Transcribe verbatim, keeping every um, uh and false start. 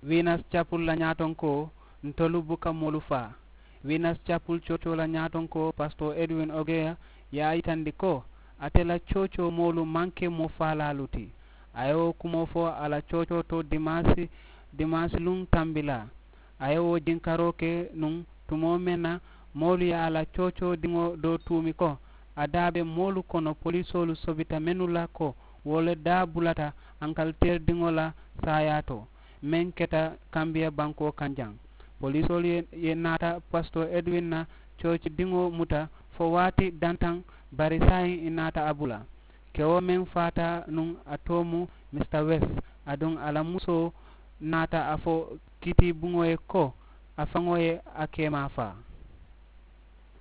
Winas capul la ñaatonkoo ntolu buka moolu faa. Winas capul coocoo la ñaatonkoo pasitoo edwin ogeya ye a yitandi ko ate la coocoo moolu maŋ ke moo faalaalu ti. A ye wo kumoo fo a la coocoo to dimaasi dimaasi luŋ tambilaa. A ye wo jinkaroo ke nuŋ tumoo meŋ na moolu ye a la coocoo diŋo doo tuumi ko a daa be moolu kono polisoolu sobita mennu la ko wo le daa bulata ankaliteeri diŋo la saayaa to meŋ keta kambiya bankoo kaŋ jaŋ. Polisoolu ye naata pasitoo edwin na cooci diŋo muta fo waati dantaŋ bari saayiŋ i naata a bula. Kewo meŋ faata nuŋ a too mu mista west aduŋ a la musoo naata a fo kiitiibuŋo ye ko a faŋo ye a keemaa faa.